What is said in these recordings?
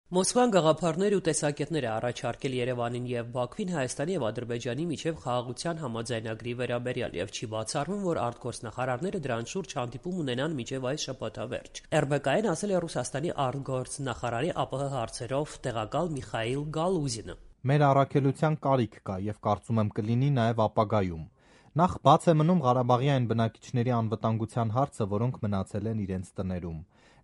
Մոսկվան գաղափարներ ու տեսակետներ է առաջարկել Երևանին եւ Բաքվին Հայաստանի եւ Ադրբեջանի միջեւ խաղաղության համաձայնագրի վերաբերյալ եւ չի բացառվում, որ արտգործնախարարները դրան շուրջ հանդիպում ունենան մինչեւ այս շաբաթավերջ։ RBK-ն ասել է Ռուսաստանի արտգործնախարարի ԱՊՀ հարցերով տեղակալ Միխայիլ Գալուզինը։ Մեր առաքելության կարիք կա եւ կարծում եմ կլինի նաեւ ապագայում։ Նախ բաց է մնում Ղարաբաղի այն բնակիչների անվտանգության հարցը, որոնք մնացել են իրենց տներում։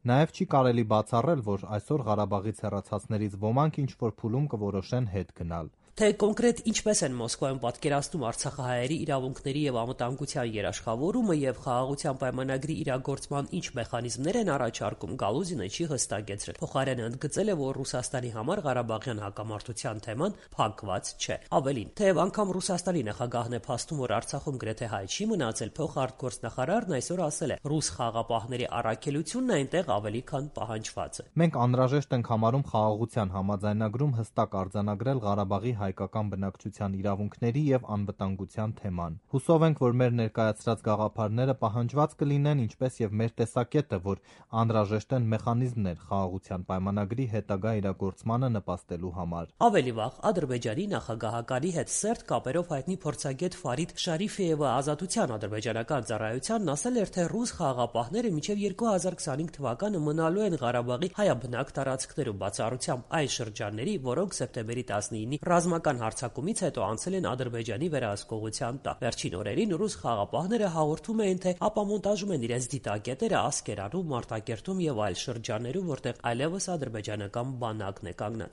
Նաև չի կարելի բացառել, որ այսօր Ղարաբաղից հեռացածներից ոմանք ինչ-որ փուլում կորոշեն հետ գնալ։ Թե կոնկրետ ինչպես են Մոսկվայում պատկերացնում արցախահայերի իրավունքների եւ անվտանգության երաշխավորումը եւ խաղաղության պայմանագրի իրագործման ինչ մեխանիզմներ են առաջարկում, Գալուզինը չի հստակեցրել։ Փոխարենը ընդգծել է, որ Ռուսաստանի համար Ղարաբաղյան հակամարտության թեման փակված չէ։ Ավելին, թեև անգամ Ռուսաստանի նախագահն է փաստում, որ Արցախում գրեթե հայ չի մնացել, փոխարտգործնախարարն այսօր ասել է, ռուս խաղաղապահների առաքելությունն այնտեղ ավելի քան պահանջված է։ Մենք անհրաժեշտ ենք համարում խաղաղության համաձայնագրում հստակ արձանագրել Ղարաբաղի հայկական բնակչության իրավունքների եւ անվտանգության թեման։ Հուսով ենք, որ մեր ներկայացրած գաղափարները պահանջված կլինեն, ինչպես եւ մեր տեսակետը, որ անհրաժեշտ են մեխանիզմներ խաղաղության պայմանագրի հետագա իրագործմանը նպաստելու համար։ Ավելի վաղ Ադրբեջանի նախագահականի հետ սերտ կապերով հայտնի փորձագետ Ֆարիդ Շարիֆիևը Ազատության ադրբեջանական ծառայությանն ասել էր, թե ռուս խաղաղապահները մինչև 2025 թվականը մնալու են Ղարաբաղի հայաբնակ տարածքներում, բացառությամբ այն շրջանների, որոնք սեպտեմբերի 19-ի ռազմական հարձակումից հետո անցել են Ադրբեջանի վերահսկողության տակ։ Վերջին օրերին ռուս խաղաղապահները հաղորդում էին, թե ապամոնտաժում են իրենց դիտակետերը Ասկերանում, Մարտակերտում եւ այլ շրջաններում, որտեղ այլևս ադրբեջանական բանակն է կանգնած։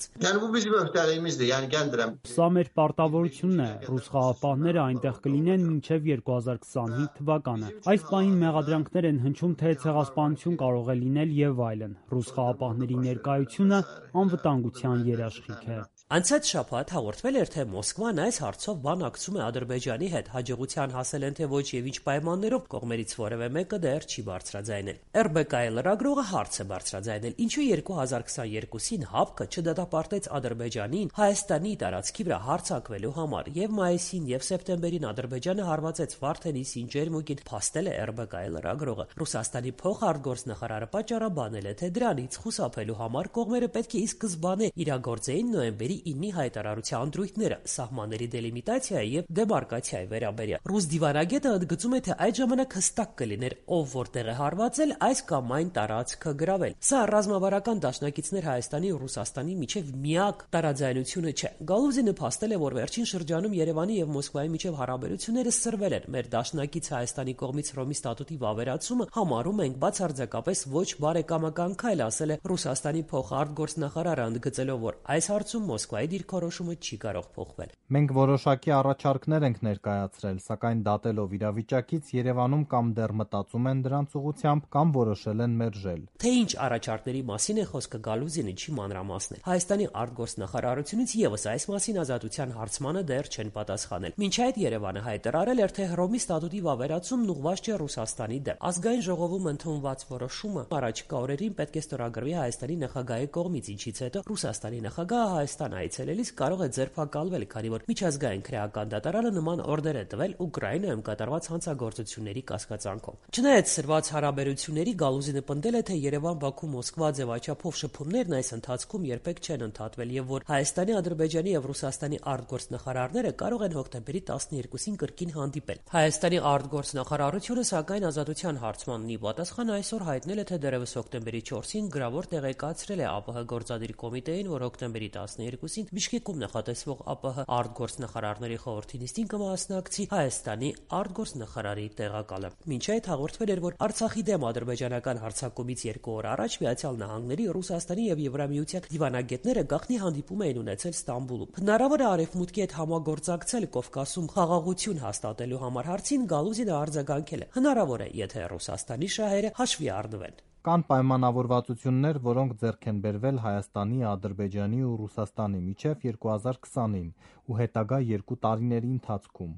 Սա մեր պարտավորությունն է։ Ռուս խաղաղապահները այնտեղ կլինեն մինչև 2025 թվականը։ Այս պահին մեղադրանքներ են հնչում, թե ցեղասպանություն կարող է լինել եւ այլն։ Ռուս խաղաղապահների ներկայությունը անվտանգության երաշխիք է։ Անցած շաբաթ հաղորդվել էր, թե Մոսկվան այս հարցով բանակցում է Ադրբեջանի հետ, հաջողության հասել են, թե ոչ եւ ինչ պայմաններով, կողմերից որևէ մեկը դեռ չի բարձրաձայնել։ RBK-ի լրագրողը հարց է բարձրաձայնել, ինչու 2022-ին ՀԱՊԿ չդատապարտեց Ադրբեջանին Հայաստանի տարածքի վրա հարձակվելու համար, եւ մայիսին եւ սեպտեմբերին Ադրբեջանը հարվածեց Վարդենի Սինջերմուկին, փաստել է RBK-ի լրագրողը։ Ռուսաստանի փոխարտգործնախարարը պատճառաբանել է, թե դրանից խուսափելու համար կողմերը պետք է ի սկզբանե իրագործեին նոյեմբերի 9-ի հայտարարության ընտրույթները սահմանների դելիմիտացիայի եւ դեմարկացիայի վերաբերյալ։ Ռուս դիվանագետը ընդգծում է, թե այդ ժամանակ հստակ կլիներ, ով որտեղ է հարվածել, այս կամ այն տարածքը գրավել։ Սա ռազմավարական դաշնակիցներ Հայաստանի ու Ռուսաստանի միջև միակ տարաձայնությունը չէ։ Գալուզինը փաստել է, որ վերջին շրջանում Երևանի եւ Մոսկվայի միջև հարաբերությունները սրվել են։ Մեր դաշնակից Հայաստանի կողմից Հռոմի ստատուտի վավերացումը համարում ենք բացարձակապես ոչ բարեկամական քայլ, ասել է Ռուսաստանի փոխարտգործնախարարը, ընդգծելով, որ այս հարցում Մոսկվայի դիրքորոշումը չի կարող փոխվել։ Մենք որոշակի առաջարկներ ենք ներկայացրել, սակայն դատելով իրավիճակից Երևանում կամ դեռ մտածում են դրանց ուղղությամբ, կամ որոշել են մերժել։ Թե ինչ առաջարկների մասին է խոսքը, Գալուզինը չի մանրամասնել։ Հայաստանի արտգործնախարարությունից եւս այս մասին Ազատության հարցմանը դեռ չեն պատասխանել։ Մինչ այդ Երևանը հայտարարել էր, թե Հռոմի ստատուտի վավերացումն ուղղված չէ Ռուսաստանի դեմ։ Ազգային ժողովում ընդունված որոշումը առաջիկա օրերին պետք է ստորագրվի Հայաստանի նախագահի կողմից, ինչից հետո Ռուսաստանի նախագահը Հայաստան այցելելիս կարող է ձերբակալվել, քանի որ միջազգային քրեական դատարանը նման օրդեր է տվել Ուկրաինայում կատարված հանցագործությունների կասկածանքով։ Չնայած սրված հարաբերությունների, Գալուզինը պնդել է, թե Երևան-Բաքու-Մոսկվա ձևաչափով շփումներն այս ընթացքում երբեք չեն ընդհատվել եւ որ Հայաստանի, Ադրբեջանի եւ Ռուսաստանի արտգործնախարարները կարող են հոկտեմբերի 12-ին կրկին հանդիպել։ Հայաստանի արտգործնախարարությունը, սակայն Ազատության հարցմանն ի պատասխան այսօր հայտնել է, թե դեռևս հոկտեմբերի 4-ին գրավոր տեղեկացրել է ԱՊՀ գործադիր կոմիտեին, որ հոկտեմբերի 12-ին Բիշկեկում նախատեսվող ԱՊՀ արտգործնախարարների խորհրդի նիստին կմասնակցի Հայաստանի արտգործնախարարի տեղակալը։ Մինչ այդ հաղորդվել էր, որ Արցախի դեմ ադրբեջանական հարձակումից 2 օր առաջ Միացյալ Նահանգների, Ռուսաստանի եւ Եվրամիության դիվանագետները գաղտնի հանդիպում էին ունեցել Ստամբուլում։ Հնարավոր է Արևմուտքի հետ համագործակցել Կովկասում խաղաղություն հաստատելու համար հարցին Գալուզինը արձագանքել է։ Հնարավոր է, եթե Ռուսաստանի շահերը հաշվի առնվեն։ Կան պայմանավորվածություններ, որոնք ձեռք են բերվել Հայաստանի, Ադրբեջանի ու Ռուսաստանի միջև 2020-ին ու հետագա 2 տարիների ընթացքում։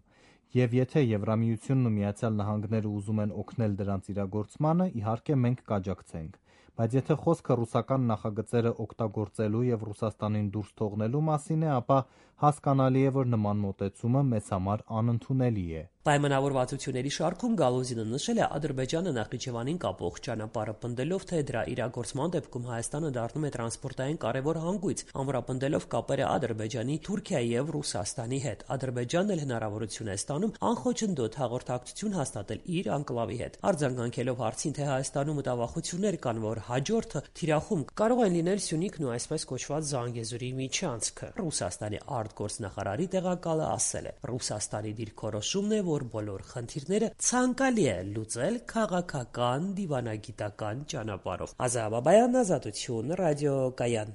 Եվ եթե Եվրամիությունն ու Միացյալ Նահանգները ուզում են օգնել դրանց իրագործմանը, իհարկե մենք կաջակցենք։ Բայց եթե խոսքը ռուսական նախագծերը օգտագործելու եւ Ռուսաստանին դուրս թողնելու մասին է, ապա հասկանալի է, որ նման մոտեցումը մեզ համար անընդունելի է։ Պայմանավորվածությունների շարքում Գալուզինը նշել է Ադրբեջանը Նախիջևանին կապող ճանապարհը պնդելով, թե դրա իրագործման դեպքում Հայաստանը դառնում է տրանսպորտային կարևոր հանգույց, ամրապնդելով կապերը Ադրբեջանի, Թուրքիայի եւ Ռուսաստանի հետ։ Ադրբեջանն էլ հնարավորություն է ստանում անխոչնդոտ հաղորդակցություն հաստատել իր անկլավի հետ։ Արձագանքելով հարցին, թե Հայաստանում մտավախություններ կան, որ հաջորդը թիրախում կարող են լինել Սյունիքն ու այսպես կոչված Զանգեզուրի միջանցքը, Ռուսաստանի արտգործնախարարի տեղակալը ասել է. Ռուսաստանի դիրքորոշումն է, որ բոլոր խնդիրները ցանկալի է լուծել քաղաքական, դիվանագիտական ճանապարհով։ Ազատ Բաբայան, Ազատություն, ռադիոկայան։